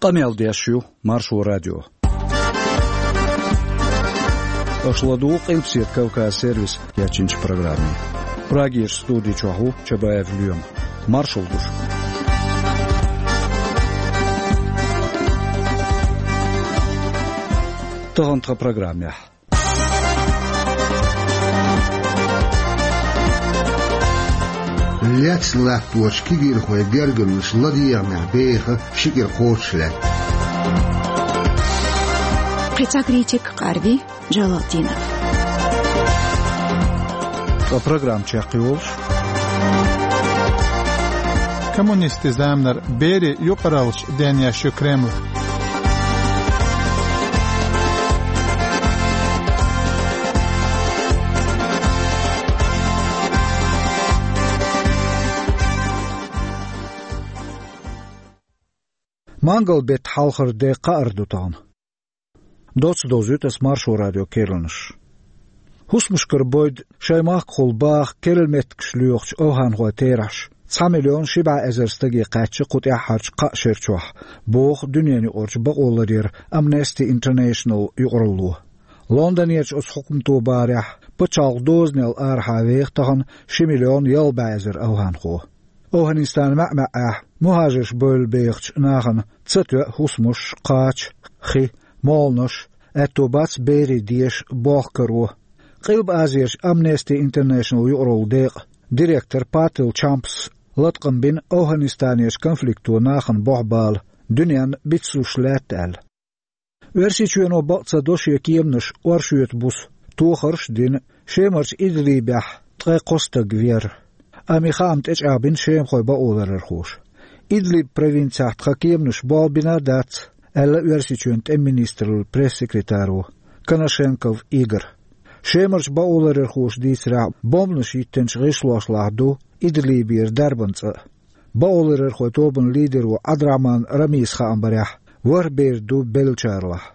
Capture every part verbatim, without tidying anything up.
Къамел деш ю Маршо радио. Аша ладугӀу Къилбаседа Кавказ сервиса кечйинчу программе. Прагерчу студи чохь ву Чабаев Лоьма. Маршалла ду шуьга. Тахана тхан программехь. Лецна латточу кегийрхойн гергарнаш ладегӀамехь беха ши кӀира кхочуш лаьтта. Кхин цхьа критик къарви Джалалтдинов. Ткъа программа чекхйолуш. Коммунистийн заманара берийн юкъараллаш денъеш ю Кремль. Мангал-беттан хьалхара де кхаара ду тахана. Доцца довзуьйту аса Маршо радион керланаш. ХӀусамашкара бойда шайн махкахула баха керла меттигаш лоьхучу овхӀанхойн терахьаш цхьа миллион ши бӀе эзар стаге кхаьчна кху тӀаьххьарчу кхаа шера чохь, боху дуьненаюкъарчу бакъоларъяран Amnesty International юкъаралло. Лондонерчу оцу хьукмато бахарехь, пачхьалкхан дозанел арахьа веха тахана ши миллион ялх бӀе эзар овхӀанхо. ОвхӀанистанан маьӀ-маьӀӀехь мухӀажарш бевлла бехачу нахана ца тоьа хӀусамаш, кхача, хи, молханаш, аьтто бац берийн деша болх каро. Къилба Азерчу Amnesty International юкъараллин декъан директор Патил Чампас латкъам бина ОвхӀанистанерчу конфликто нахана болх бала дуьненна бицлуш лаьтта аьлла. Оьрсийчоьно бакъ ца до шен кеманаш оршотан буса тохарш а дина, Шемарчу Идлибехь ткъе кхо стаг вер. Амма и хаам тӀечӀагӀбина шемахойн бакъоларъярхоша. Идлиб провинцехь тхан кеманаш болх бина а дац, аьлла Оьрсийчоьнан тӀеман министраллин пресс-секретаро Коношенков Игора. Шемарчу бакъоларъярхоша дийцарехь, бомбанаш йиттинчу гӀишлошлахь ду Идлибера дарбан цӀа а. Бакъоларъярхойн тобанан лидеро Ӏабдурахьман Рамиса хаам барехь, ворхӀ бер ду беллачарлахь.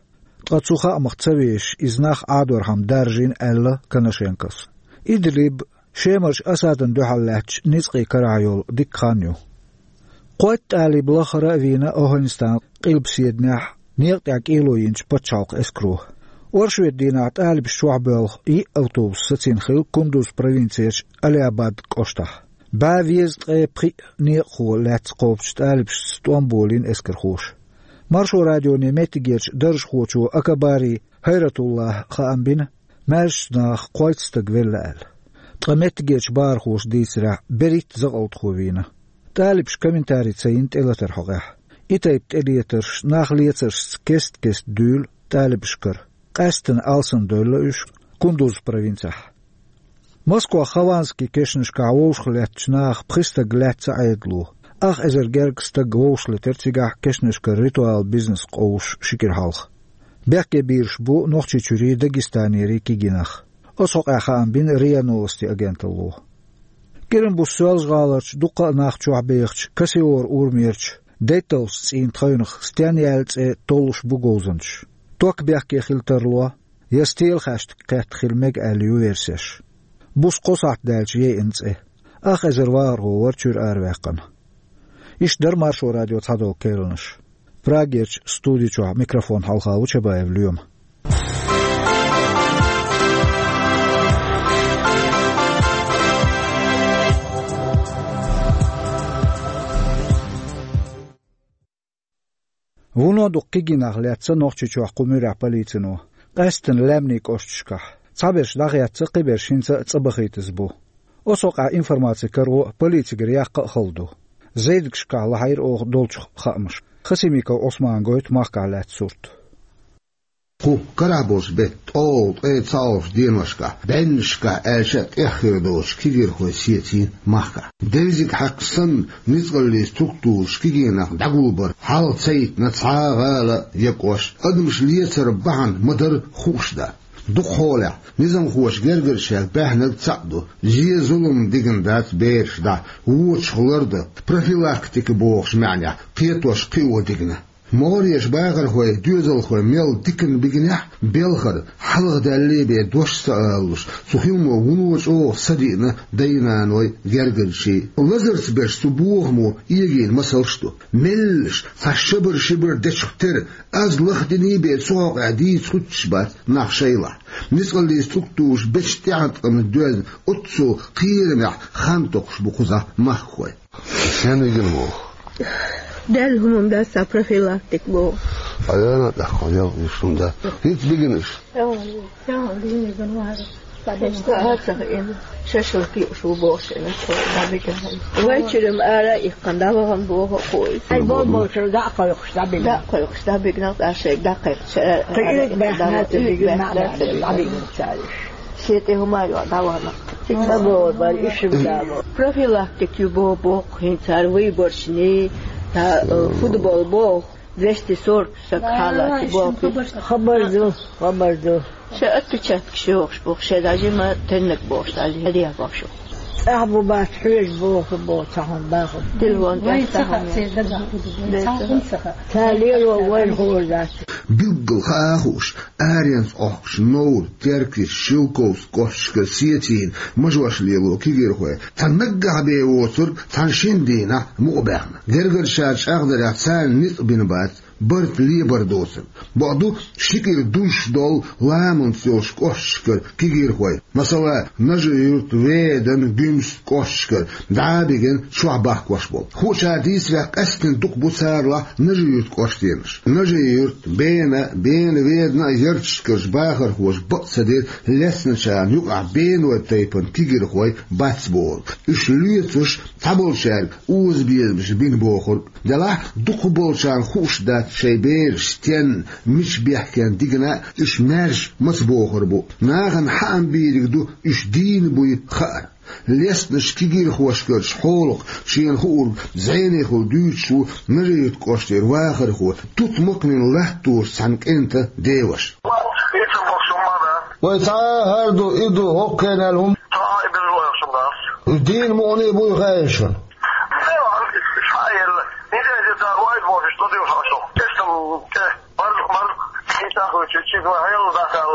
Ткъа цу хаамах ца вешаш, иза нах Ӏадорхьама даржийна аьлла Коношенковс. Идлиб Шемарчу Асадна дуьхьал лаьттачу ницкъийн карахь йолу дикка хан ю. Кхойтта тӀалиб лахара а вийна ОвхӀанистанан къилбаседанехь некъа тӀехь кӀело йинчу пачхьалкхан эскаро. Оршотан дийнахь тӀалибаш чохь боьлху йиъ автобус сацийна хилла Кундуз провинцерчу Алиабад кӀоштахь. БӀе везткъе пхиъ некъахо лаьцна кхобучу тӀалибашца тӀом болийна эскархоша. Маршо радионе меттигерчу даржахочо Акабари ХӀайратуллахьа хаам бина, маьршачу наха кхойтта стаг велла аьлла. Ткъа меттигерчу бахархоша дийцарехь, берхӀитта закъалтхо вийна. ТӀалибаша комментари ца йина тӀелатаран хьокъехь. И тайпа тӀелетарш нах лецаршца кест-кеста дуьйлу тӀалибашкара. Къаьсттина алсамдевлла уьш Кундуз провинцехь. Москвахь Хованский кешнашкахь вовшах лаьттачу нахах пхи стаг лаьцна Ӏедало. Ах эзар гергга стаг вовшахлетира цигахь кешнашкара ритуалан бизнес къовсуш ши кӀира хьалха. Бехке бийраш бу Нохчийчуьрий, Дагестанерий кегий нах. Оцу хьокъехь хаам бина РИА Новости агенталло. КӀиран буса Соьлжа-ГӀаларчу дуккха а нах чохь бехачу Кассиор урамерчу детталгӀачу цӀийнан тхевнах стенна яьлла цӀе толлуш бу говзанчаш. Ток бехке хила тарло, я стелан хаьштиг кхетта хила мега аьлла ю версеш. Буса кхо сахьт даьлча яйина цӀе. Ах эзар вахархо вара чуьра араваьккхина. Иштта дара Маршо радион цхьадолу керланаш. Прагерчу студи чохь микрофон хьалха ву Чабаев Лоьма. Вуно дукха кегий нах лаьцна Нохчийчохь кху муьрехь полицино, къаьсттина лаьмнийн кӀошташкахь. Цхьаберш дӀахецна, кхиберш хӀинца а цӀа бахийтаза бу. Оцу хьокъехь информаци каро полицигара яккха а хала ду. Зайдигашкахь лахьийра оха долчух хаамаш. Хасимиков Ӏусмана гойту махкахь лаьцна сурт. Кху карахь болчу беттан ткъолгӀа, ткъе цхьалгӀачу деношкахь, бӀеннашкахь аьлча а тӀех хир доцуш кегийрхой сецийна махкахь. Дерзиг хьаькхна санна, ницкъаллин структураш кегий нах дӀагулбар хьал ца йитина цхьа а гӀала я кӀошт. Адамаш лецар бахьана ма-дарра хууш дан. Дукхахьолехь, низамхоша гергарчех баьхнарг цхьаъ ду: зен-зулам дигна дац бераш дахьа, вочух лардан, профилактика бохучу маьӀнехь кхетош кхио дигна. МогӀарерчу бахархойн доьзалхой мел диканна бигинехь а, белхар хьалха даьллий бен дош ца алалуш, цу хиламо вуно чӀогӀа садиъна дай-наной гергарчий. Лазарца берш цу бохамо эгийна масалш ду. Меллаша цхьа шабар-шибар дечух тера, аз лахдиний бен цу хьокъехь дийца хӀуттуш бац нах шайлахь. Ницкъаллин структураш бечу тӀеӀаткъамна доьзна оццул кхерамехь хан токхуш бу кхузахь махкахой. Сен вигина боху? Даьлла хӀуманаш дац, цхьа профилактика боху. Аяна тӀаккха ял вуьшун да. ХӀинца бигина уьш? Ша ца хаьа, шашлык юуш ву боху шена, со дӀабигина. Вай чуьра-м ара а иккхина дӀавахана боху кхо. Ай, бо-, бо-, чуьра дӀа а кхойкхуш дӀабигина. ДӀа а кхойкхуш дӀабигина, тӀаккха шайга дӀакхайкхина. Ша, кхин а ара баьхна, дӀа а ца бигина, баьхна, дӀа а ца бигина. ДӀабигина цара уьш. Шен тӀе хӀума а йоккхуш дӀавахана. Цига ца боху, бара, уьш-м дало. Профилактика ю боху, боху хӀинца цара выборочный, та, э, футбол боху. Двести сорок саг хьалаца боху. Хабар ду, хабар ду. Шайн отпечаткаш йохуш боху, шайн даже ма теннаг бохуш, даже хьадеха бохуш. ЦӀахь бу бац, хьоьжуш боху, боху, цхьа хӀума баху. Телефон тӀехь цхьа хӀума яц. Цхьа хӀума ца хаьа. Ца лело вайн хӀора дац. Билггал хаа хууш, аренца Ӏохкучу Новр, Теркйист, Шелковски кӀошташкара сецийна мажош лело кегийрхой цхьа наггахь бен воцург цхьана шина дийнахь мукъабаьхна. Гергарчара чӀагӀдарехь, царна ницкъ бина бац барт лебар доцург. Бакъду, ши кӀира дузуш долу ламанца йолчу кӀошташкара кегийрхой, масала, Нажи-Юрт, Ведан, Гуьмсан кӀошташкара дӀа а бигина чохь бахкош болу. Хуучара дийцарехь, къаьсттина дукха бу царалахь Нажи-Юрт кӀоштенаш. Нажи-Юрт, Бена, Бена-Ведан а ярташкарчу бахархоша бакъ ца дира лецначарна юкъахь Бенойн тайпана кегийрхой бац бохург. Уьш лоьцуш цхьаболчаьрга озабезамаш бина бохург. Делахь, дукхахболчарна хууш дац шайн бераш стенна, мича бехкенна дигна а, уьш маьрша маца бохур бу. Нахана хаам бийриг ду уьш дийна буй хаар. Лецначу кегийрхошкарчу хьолах шена хуург зӀенехула дуьйцуш ву Нажи-Юрт кӀоштара вахархо, тутмакханин латтош цхьана кӀентан деваша. Вай цхьа а хӀара ду, и ду, хӀокху хенахь хӀума. Цхьа а и беза вайшимма дац. Дийна мукъане буй хаьий шуна? Дела, ша а елла. Неделя где-то вайт бохуш, что ты ушла, что? Тестом, те, марзу, марзу. Хин тахуй, чуть-чуть, вай, хьайла дахал.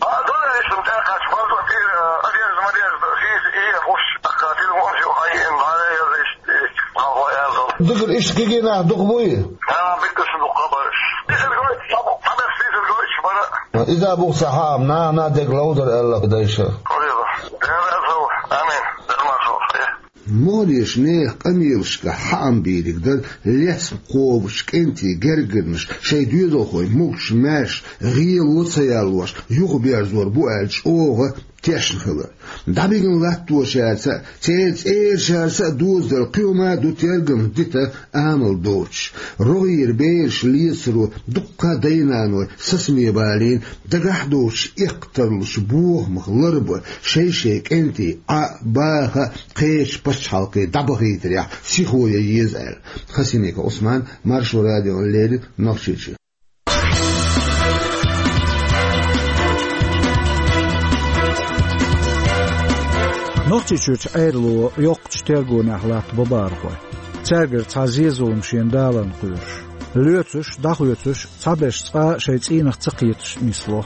А, дола, ишим, тӀаккха, марзу, ти, э, одежда, модежда, хиз, и, хуш, тахка, телефон, шу, хай, им, хай, я, здесь, и, хай, я, здесь. Дикр, иштта кегий нах дукха буй? Ха, битта шу дукха бараш. Дисер гой, сабу, сабер, дисер гой, шу бара. Иза бух ца хаам, нана дег ловдар аьлла дайша. Куреба. Дера зов. Амин. Дермашо. МогӀарерчу нехан къамелашкахь хаам бийриг дара лецна кхобучу кӀентийн гергарнаш шайн доьзалхойн могуш-маьрша гӀело ца яллош юхаберзор бу аьлла чӀогӀа тешна хилар. ДӀабигина латточаьрца а, церан цӀерачаьрца а доьзал кхин хӀума а ду тергамна дита амал доцуш. РогӀера бераш лецаро дуккха а дай-наной сацаме балийна, дагахь а доцуш эккха тарлучу бохамах ларбан, шай-шайн кӀентий Ӏа а, баха а кхечу пачхьалкхе дӀабахийтарехь сихо ян еза аьлла. Хасимиков Ӏусман, Маршо радиона леррина, Нохчийчуьра. Нохчийчуьрчу Ӏедало йоккхачу тергонехь латта бан бахархой. Цаьргара цхьа зен-зулам шена даларна кхоьруш. Лоьцуш, дӀахоьцуш, цхьаберш цкъа а шайн цӀийнах ца кхеташ нисло.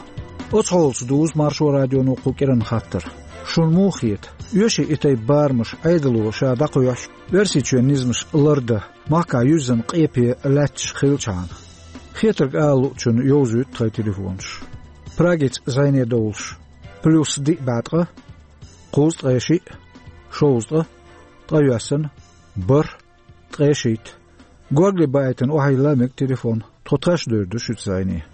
Оцу хьолаца дузу Маршо радионо кху кӀиранан хаттар. Шуна муха хета, оьший и тайпа барамаш Ӏедало ша дӀакхоьхьуш, Оьрсийчоьнан низамаш лардан, махкахь юьззина къепе лаьтташ хилчхьана? Хетарг ала луучунна йовзуьйту тхайн телефонаш. Прагица зӀене довлуш: плюс диъ бӀе ткъа, кхузткъе шиъ, шовзткъа, ткъайоьсна, бархӀ, ткъе шийтта. Горгали баийтина охьайилла мега телефон, тхо тхаьш а девр ду шуьца зӀене.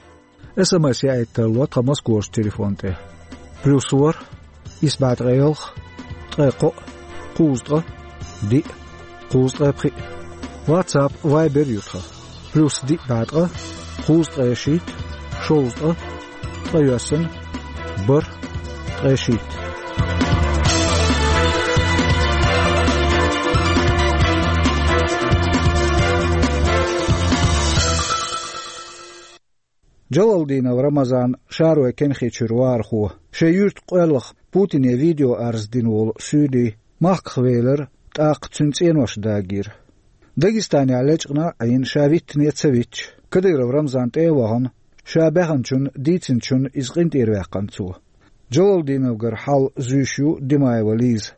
СМС яийта тарло тхан Москварчу телефон тӀе: плюс ворхӀ, исс бӀе ткъе ялх, ткъе кхоъ, кхузткъа, диъ, кхузткъе пхиъ. WhatsApp, Viber ю тхан: плюс диъ бӀе ткъа, кхузткъе шийтта, шовзткъа, ткъайоьсна, бархӀ, ткъе шийтта. Джалалдинов Рамазан, Шаройн Кенхичуьра вахархо, шайн юьртан къоьллах Путине видеоарз дина волу суьйли махках велира, тӀаккха цуьнан цӀенош дагийра. Дагестанехь лечкъина а Ӏийна, ша виттане а ца витча, Кадыров Рамзан тӀе а вахана, ша баьхначун, дийцинчун иза къинтӀера ваьккхина цо. Джалалдиновгара хьал зуьйш ю Димаева Лиза.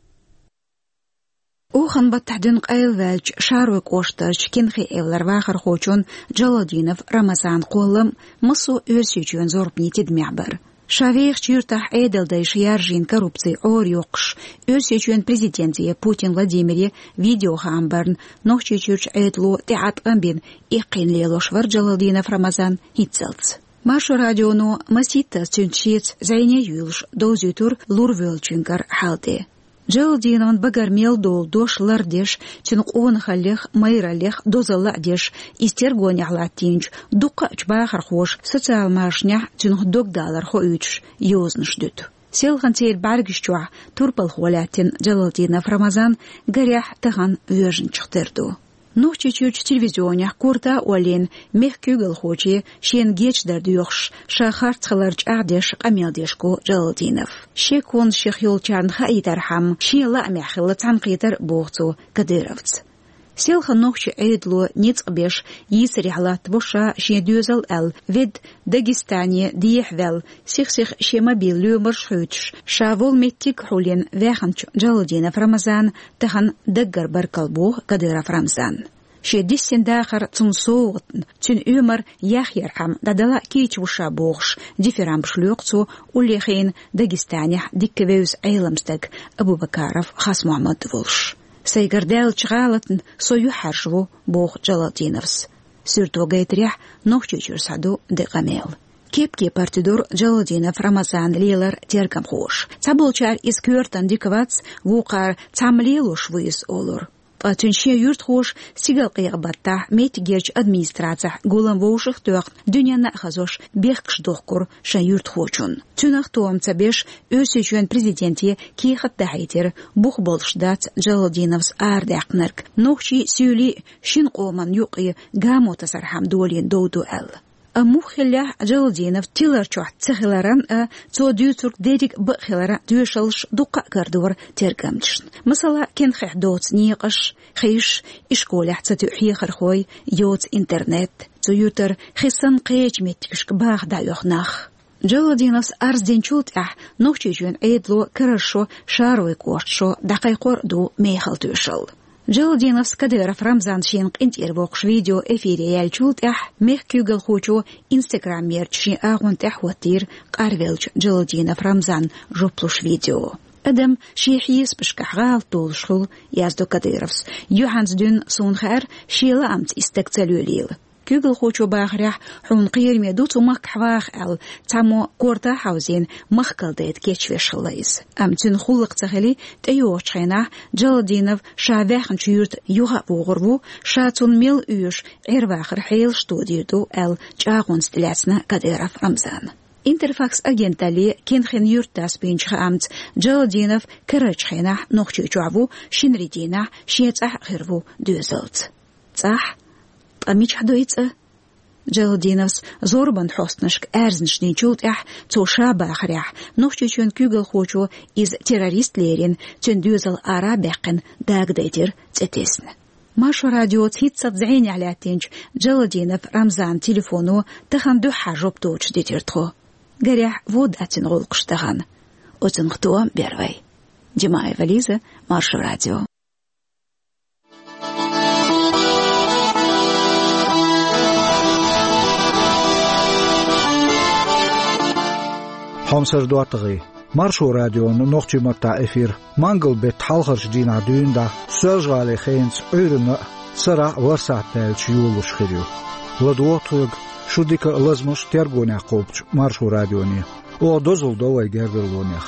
Оханан баттахь дуьйна къайлаваьллачу Шаройн кӀоштарчу Кенхи-Эвлара вахархочун Джалалдинов Рамазанан кхоллам массо а Оьрсийчоьнан зорбанийн тидамехь бара. Ша вехачу юьртахь Ӏедалдайша яржийна коррупци Ӏорайоккхуш, Оьрсийчоьнан президенте Путин Владимире видеохаам барна Нохчийчуьрчу Ӏедало тӀеӀаткъам бина эккхийна лелош вара Джалалдинов Рамазан хӀинццалц. Маршо радионо масийттаза цуьнца шеца зӀене а юьйлуш довзуьйтура лурвоьллачуьнгара хьал тӀе. Джалалдиновн багара мел долу дош лардеш, цуьнан къонахаллех, майраллех дозалла а деш, иза тергонехь латтийначу дуккхаъчу бахархоша социал машанехь цуьнан догдалар хоуьйтуш йозанаш дуьту. Селхана церан бӀаьргаш чохь турпалхо лаьттина Джалалдинов Рамазан гарехь тахана воьжначух тера ду. Нохчийчуьрчу телевизионехь корта а оллийна, мехкан куьйгалхоче шена гечдар доьхуш, ша харц хилар чӀагӀдеш къамел деш го Джалалдинов. Шеконаш шех йолчарна хаийтархьама, шен лаамехь хилла цхьаьнакхетар а боху цо Кадыровца. Селхана нохчийн Ӏедало ницкъ беш йийсарехь латтаво ша шен доьзал аьлла, ведда Дагестане дехьаваьлла, сих-сиха шен мобил лоьмарш а хуьйцуш, ша волу меттиг а хьулйина ваьхначу Джалалдинов Рамазана тахана даггара баркалла боху Кадыров Рамзанна. Шен дисина дахар цунна совгӀатна, цуьнан оьмар яхъярхьама дӀадала а кийча ву ша бохуш, дифирамбаш лоькху цо уллехь Дагестанехь дикка вевза Ӏелам стаг Абубакаров Хасмухьаммад волуш. Сайгара даьллачу гӀалатна со юьхьӀаьржа ву, боху Джалалдиновс. Суьрто гайтарехь, Нохчийчуьра схьаду де къамел. Кеп-кепара тидора Джалалдинов Рамазана лелар тергамхоша. Цхьаболчара иза коьртана дика вац, вукхара цхьамма лелош ву иза олура. Ткъа цуьнан шен юьртахоша стигалкъекъа баттахь меттигерчу администрацехь гулам вовшах а тоьхна, дуьненна а хазош, бехкаш дохкура шайн юьртахочунна. Цуьнах тоам ца беш, Оьрсийчоьнан президенте кехат дахьийтира, бух болуш дац Джалалдиновс арадаьккхинарг, нохчий а, суьйлий а шина къоман юккъе гамо тасархьама долийна дов ду аьлла. Амма муха хиллехь а, Джалалдинов тилар чохь ца хиларан а, цо дуьйцург дерриг а бакъ хиларан а тоьшаллаш дуккха а карадора тергамчашна. Масала, Кенхехь доцу некъаш, хиш, ишколехь ца тоьу хьехархой, йоцу интернет. Цу юьртара хи санна кхечу меттигашка баха дӀаоьху нах. Джалалдиновс арз динчул тӀаьхьа Нохчийчоьнан Ӏедало карарчу шо, Шаройн кӀоштан шо дӀакхайкхор а ду мехала тоьшалла. Джалалдиновс Кадыров Рамзан шена къинтӀера воккхуш видео эфире яьллачул тӀаьхьа мехкан куьйгалхочо Instagram-ерчу шен агӀонна тӀехь хӀоттийра къарвеллачу Джалалдинов Рамзанна жоп луш видео. Адам шен хьесапашкахь гӀалат долуш хуьлу, яздо Кадыровс. Юьхьанца дуьйна суна хаьара, шен лаамца и стаг ца лелийла. Куьйгалхочо бахарехь, хьуна кхераме ду цу махкахь ваха аьлла, цхьаммо корта а хьовзийна, махкал дайта кечвеш хилла иза. Амма цуьнан гӀуллакх ца хили, тӀейогӀучу хенахь Джалалдинов ша ваьхначу юьрта юха а вогӀур ву, ша цунна мел оьшу Ӏер-вахаран хьелаш тодийр ду аьлла, чӀагӀонца тӀелаьцна Кадыров Рамзана. Интерфакс агенталле Кенхин юьртдас бинчу хаамца, Джалалдинов карарчу хенахь Нохчийчохь ву, шинарин дийнахь шен цӀахь а хир ву доьзалца. ЦӀахь? Ткъа мичахь ду и цӀа? Джалалдиновс зорбан хьостанашка аьрзнаш динчул тӀаьхьа, цо ша бахарехь, Нохчийчоьнан куьйгалхочо иза террорист лерина, цуьнан доьзал ара а баьккхина, дагадайтира цӀе тесна. Маршо радиоца хӀинццалц зӀенехь лаьттинчу Джалалдинов Рамзанан телефоно тахана дуьххьара жоп доцуш дитира тхо. Гарехь, вон дац цуьнан гӀуллакхаш тахана. Оцунах тоам бер вай. Димаева Лиза, Маршо радио. Хьомсара доттагӀий. Маршо радион нохчийн маттахь эфир мангал-беттан хьалхарчу дийнахь дуьйна дӀа Соьлжа-ГӀалин хенаца Ӏуьйранна а, сарахь а ворхӀ сахьт даьлча йолалуш хир ю. ЛадогӀа тхоьга, шу дика а, лазамаш а тергонехь кхобучу Маршо радионе. Оха дозалла до вай гергарлонех.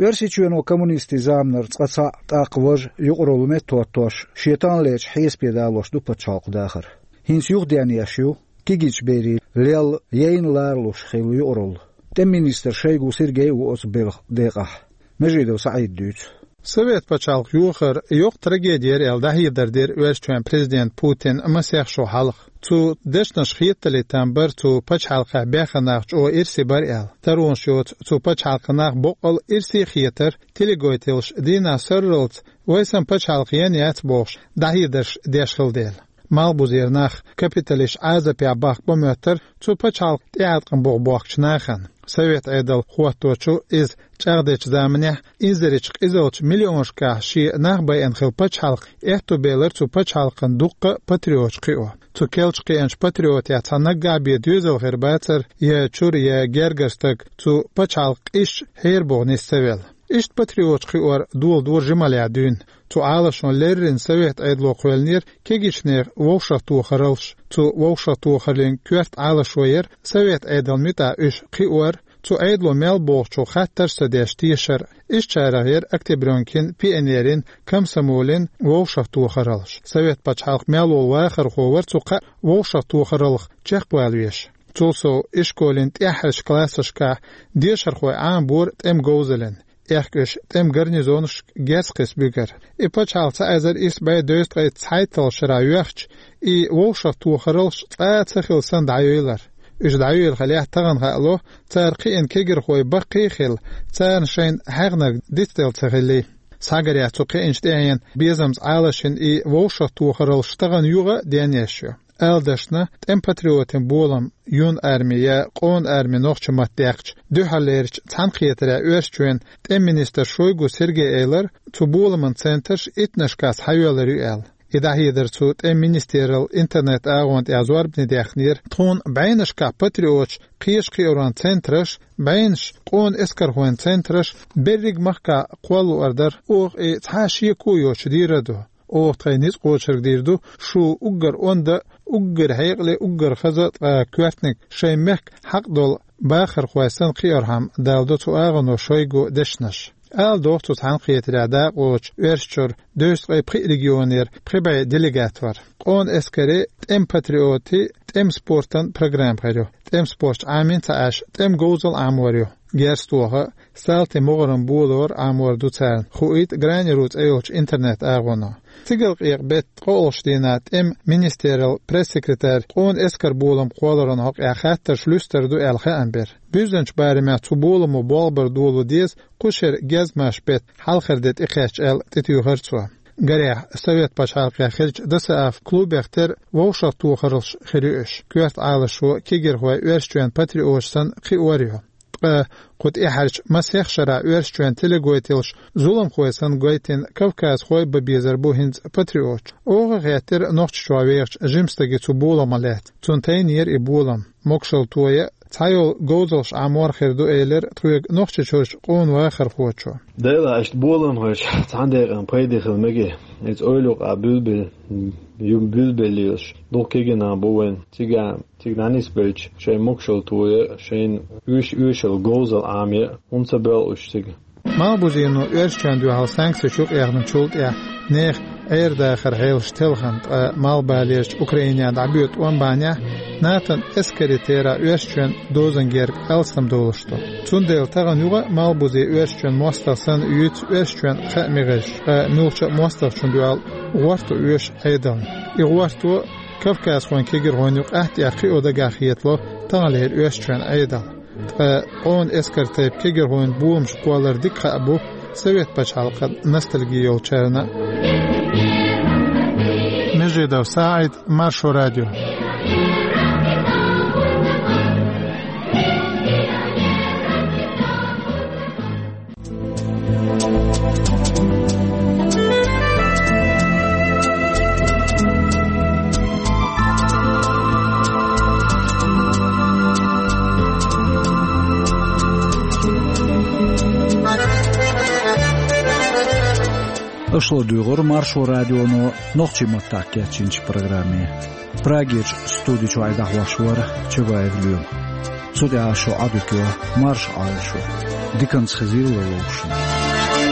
Оьрсийчоьно коммунистийн заманара цкъа цхьаъ, тӀаккха важа юкъаралла меттахӀоттош, шен таханлерчу хьесапе далош ду пачхьалкхан дахар. ХӀинца юхаденъеш ю кегийчу берийн лелла яйна ларалуш хилла юкъаралла. ТӀеман министр Шойгу Сергей а ву оцу белхан декъахь. Межидов СаӀида дуьйцу. Совет пачхьалкх йохар йоккха трагеди яра аьлла дӀахьедар дира Оьрсийчоьнан президента Путина масех шо хьалха. Цу дешнаш хетале там бар цу пачхьалкхехь баьхна нах чӀогӀа ирсе бара аьлла. Таронаш йоцу цу пачхьалкхан нах боккъал ирсе а хетара, телегойтелаш дийнахь сорралц вай сан пачхьалкх ян яц бохуш, дӀахьедарш деш хилла дела. Малхбузера нах капиталисташ Ӏазапехь бахка бан моьттара цу пачхьалкх тӀеӀаткъам боху бохкучу нахана. Совет Ӏедал хӀотточу иза чӀагӀдечу заманехь инзаречу къизаллачу миллионашкахь шен нах байина хилла пачхьалкх аьтто белира цу пачхьалкхан дуккха а патриоташ кхио. Цу керлачу кхиъначу патриотех цхьа наггахь бен доьзал хир бацара, я чуьра, я гергара стаг цу пачхьалкхан къизачу хьерабоху нис ца велла. Иштта патриоташ кхиор доладора жималлехь дуьйна. Цу Ӏалашо леррина Совет Ӏедало кхоьллинера кегийчу нехан вовшахтохараллаш. Цу вовшахтохараллин коьрта Ӏалашо яра Совет Ӏедална муьтӀахь уьш кхиор, цу Ӏедало мел бохучух хаттарш а ца деш тешар. Ишттачарах яра Октябрёнкин, Пионерин, Комсомолин вовшахтохараллаш. Совет пачхьалкх мел волу вахархо вара цу кхаа вовшахтохараллах чекхбала везаш. Цул сов, ишколин тӀаьххьарчу классашкахь дешархой Ӏамабора тӀеман говзаллина. Аьхка уьш тӀеман гарнизонашка герз кхиссабуьгара. И пачхьалкх цхьа эзар исс бӀе дезткъе цхьайтталгӀачу шарахь йоьхча, и вовшахтохараллаш цкъа а ца хилла санна дӀайоьллура. Уьш дӀайоьллу хиллехь, тахана хаало, цара кхиъна кегийрхой баккхий а хилла, царна шайна хьегнарг дицделла ца хиллий. Схьагарехь, цу кхиъначу тӀаьхьенан безамца Ӏалашйина и вовшахтохараллаш тахана юха а денъеш ю. Ала дашна, тӀеман патриотийн болам, Юнарми я Къона арми нохчийн матта даьккхича, дуьххьарлерчу цхьаьнакхетарехь Оьрсийчоьнан тӀеман министра Шойгу Сергейс элира, цу боламан центраш иттаннашкахь схьайоьллур ю аьлла. И дӀахьедар цу тӀеман министралла интернет-агӀонна тӀехь зорбане даьккхинера. Тхуна бӀеннашкахь патриоташ кхечу кхиоран центраш, бӀеннаш къона эскархойн центраш берриг махкахь кхолла луур дара. Оха и цхьа а шеко а йоцуш дийр ду. Оха тхайн ницкъ кхочург дийр ду, шу уггар онда, уггар хьекъале, уггар хаза, ткъа коьртаниг шайн мехкан хьакъ долу бахархой санна кхиорхьама, даладо цу агӀоно Шойгун дешнаш. Ала догӀу цу цхьаьнакхетарехь дакъалоцуш Оьрсийчуьра дезткъе пхи регионера пхи бӀе делегат вара. Къона эскаре тӀеман патриотийн, тӀеман спортан программа хир ю. ТӀеман спорташ Ӏамийна ца Ӏаш, тӀеман говзалла Ӏамор ю. Герз тоха, салтийн могӀаран болор Ӏамор ду царна, хуийта Гранеру цӀе йолчу интернет-агӀоно. Цигалкъекъа беттан ткъолгӀачу дийнахь тӀеман министраллин пресс-секретарь къона эскаран болам кхолларан хьокъехь хаттарш луьстур ду аьлла хаам бира. Буьззинчу барамехь цу боламо болх бар долу деза кху шеран гезгмашин беттан хьалхара де тӀекхаьчча аьлла, тӀетуьйхира цо. Гарехь, Совет пачхьалкхехь хиллачу ДОСААФ клубех тера вовшахтохараллаш хир ю уьш. Коьрта Ӏалашо кегийрхой Оьрсийчоьнан патриоташ санна кхиор ю. Ткъа кху тӀаьххьарчу масех шарахь Оьрсийчоьнан телекомпанияллаш зуламхой санна гойтина кавказхой бан безар бу хӀинца патриоташ. Оха а хеттера Нохчийчохь вехачу жима стаге цу боламах лаьцна. Цунна тайнера и болам. Могушалла тоя, цхьайолу говзаллаш Ӏамор хир ду, элира тхоьга Нохчийчуьрчу къона вахархочо. Дела, иштта боламхоша цхьана декъана пайде хила мега. Иза ойла юкъахь буьлбелла, ю буьлбелла лелаш, дукха кегий нах бу вайн. Цига, цига дӀанисбелча, шайн могушалла тоя, шайна оьш-, оьшалла говзалла Ӏамае, хӀунда ца боьлху уьш цига? Малхбузено Оьрсийчоьнна дуьхьал санкцеш юкъаяьхначул тӀаьхьа нехан Ӏер-дахаран хьелаш телхина, ткъа малхбалерчу Украинехь дӀабоьду тӀом бахьанехь, НАТО-н эскарийн терахь Оьрсийчоьнан дозан герга алсам долуш ду. Цундела тахана юха а малхбузе Оьрсийчоьнан мостагӀа санна юьйцу Оьрсийчоьнан хааман мегӀарш, ткъа муьлххачу а мостагӀчунна дуьхьал гӀорто оьшу Ӏедална. И гӀорто кавказхойн кегийрхойн юкъахь тӀехь кхио дагахь хетало таханлера Оьрсийчоьнан Ӏедал. Ткъа къона эскаран тайпа кегийрхойн боламаш кхоллар дика хаа бу Совет пачхьалкхан ностальги йолчарна. Межидов СаӀид, Маршо радио. Аша ладуьйгӀира Маршо радионо нохчийн маттахь кечйинчу программе. Прагерчу студи чохь и дӀахьош вара Чабаев Лоьма. Цу тӀехь шун Ӏадика йо, марша Ӏойла шу. Диканца хезийла вовшашна.